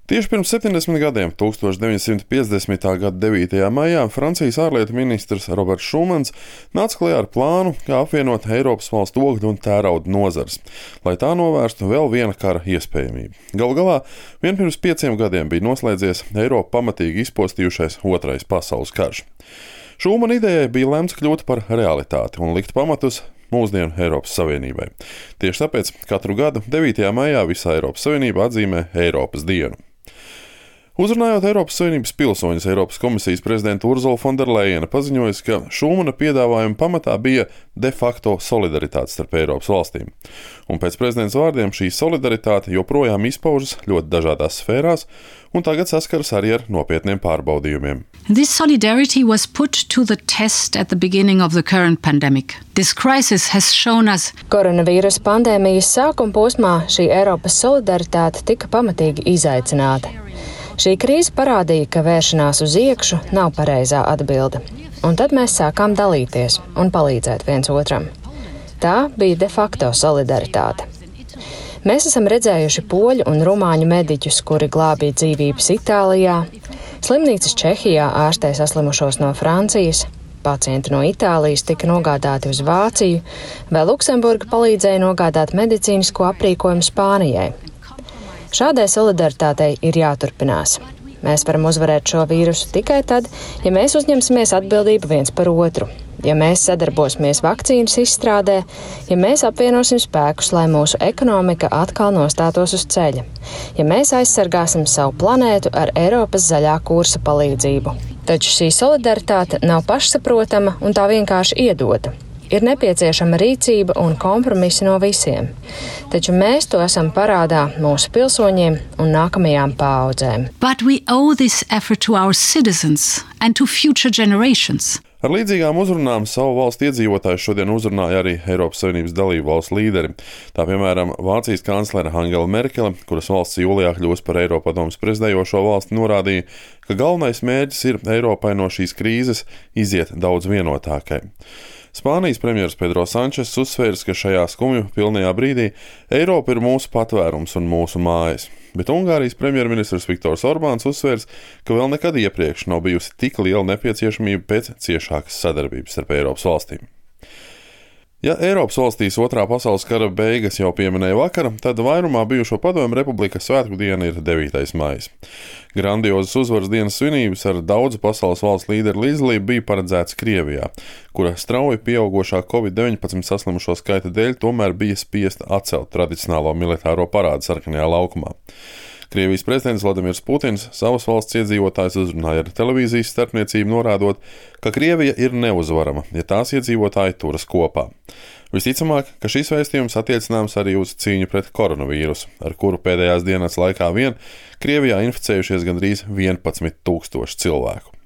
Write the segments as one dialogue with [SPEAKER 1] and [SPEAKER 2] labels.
[SPEAKER 1] Tieši pirms 70 gadiem, 1950. gada 9. maijā, Francijas ārlietu ministrs Roberts Šumans nāca klajā ar plānu, kā apvienot Eiropas valstu ogļu un tērauda nozares, lai tā novērstu vēl viena kara iespējamību. Galu galā, vien pirms 5 gadiem bija noslēdzies Eiropu pamatīgi izpostījušais Otrais pasaules karš. Šumana idejai bija lemts kļūt par realitāti un likt pamatus mūsdienu Eiropas Savienībai. Tieši tāpēc katru gadu 9. maijā visā Eiropas Savienība atzīmē Eiropas dienu. Uzrunājot Eiropas Savienības pilsoņus, Eiropas komisijas prezidenta Urzula Fonderlejena paziņojusi, ka Šumana piedāvājuma pamatā bija de facto solidaritāte starp Eiropas valstīm. Un pēc prezidenta vārdiem šī solidaritāte joprojām izpaužas ļoti dažādās sfērās un tagad saskaras arī ar nopietniem pārbaudījumiem.
[SPEAKER 2] This solidarity was put to the test at the beginning of the current pandemic. This crisis has shown us.
[SPEAKER 3] Koronavīrusa pandēmijas sākuma posmā šī Eiropas solidaritāte tika pamatīgi izaicināta. Šī krīze parādīja, ka vēršanās uz iekšu nav pareizā atbilde. Un tad mēs sākām dalīties un palīdzēt viens otram. Tā bija de facto solidaritāte. Mēs esam redzējuši poļu un rumāņu mediķus, kuri glābīja dzīvības Itālijā, slimnīcas Čehijā ārstē saslimušos no Francijas, pacienti no Itālijas tika nogādāti uz Vāciju, vai Luksemburga palīdzēja nogādāt medicīnisko aprīkojumu Spānijai. Šādai solidaritātei ir jāturpinās. Mēs varam uzvarēt šo vīrusu tikai tad, ja mēs uzņemsimies atbildību viens par otru, ja mēs sadarbosimies vakcīnas izstrādē, ja mēs apvienosim spēkus, lai mūsu ekonomika atkal nostātos uz ceļa, ja mēs aizsargāsim savu planētu ar Eiropas zaļā kursa palīdzību. Taču šī solidaritāte nav pašsaprotama un tā vienkārši iedota. Ir nepieciešama rīcība un kompromisi no visiem, taču mēs to esam parādā mūsu pilsoņiem un nākamajām paaudzēm.
[SPEAKER 2] But we owe this effort to our citizens and to future generations.
[SPEAKER 1] Ar līdzīgām uzrunām savu valstu iedzīvotājus šodien uzrunāja arī Eiropas Savienības dalību valstu līderi. Tā piemēram Vācijas kanclere Angela Merkele, kuras valsts jūlijā kļūs par Eiropadomes prezidējošo valsti, norādīja, ka galvenais mērķis ir Eiropai no šīs krīzes iziet daudz vienotākai. Spānijas premjeras Pedro Sančes uzsvērs, ka šajā skumju pilnajā brīdī Eiropa ir mūsu patvērums un mūsu mājas. Bet Ungārijas premjerministrs Viktors Orbāns uzsvērs, ka vēl nekad iepriekš nav bijusi tik liela nepieciešamība pēc ciešākas sadarbības starp Eiropas valstīm. Ja Eiropas valstīs Otrā pasaules kara beigas jau pieminēja vakar, tad vairumā bijušo padomju republikas svētku diena ir 9. maijs. Grandiozas uzvaras dienas svinības ar daudzu pasaules valstu līderu līdzdalību bija paredzētas Krievijā, kura strauji pieaugošā Covid-19 saslimušo skaita dēļ tomēr bija spiesta atcelt tradicionālo militāro parādu Sarkanajā laukumā. Krievijas prezidents Vladimirs Putins savas valsts iedzīvotājus uzrunāja ar televīzijas starpniecību, norādot, ka Krievija ir neuzvarama, ja tās iedzīvotāji turas kopā. Visticamāk, ka šis vēstījums attiecināms arī uz cīņu pret koronavīrusu, ar kuru pēdējās dienas laikā vien Krievijā inficējušies gandrīz 11,000 cilvēku.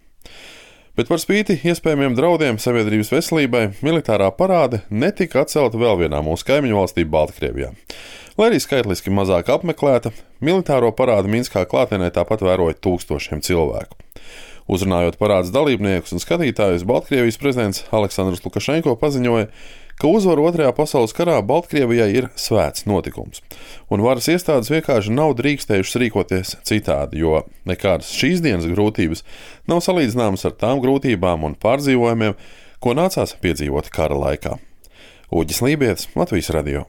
[SPEAKER 1] Bet par spīti iespējamiem draudiem sabiedrības veselībai, militārā parāde netika atcelta vēl vienā mūsu kaimiņu valstī Baltkrievijā. Lai arī skaitliski mazāk apmeklēta, militāro parādu Minskā klātienē tāpat vēroja tūkstošiem cilvēku. Uzrunājot parādes dalībniekus un skatītājus, Baltkrievijas prezidents Aleksandrs Lukašenko paziņoja, ka uzvara Otrajā pasaules karā Baltkrievijai ir svēts notikums, un varas iestādes vienkārši nav drīkstējušas rīkoties citādi, jo nekādas šīs dienas grūtības nav salīdzināmas ar tām grūtībām un pārdzīvojumiem, ko nācās piedzīvot kara laikā. Uģis Lībietis, Latvijas radio.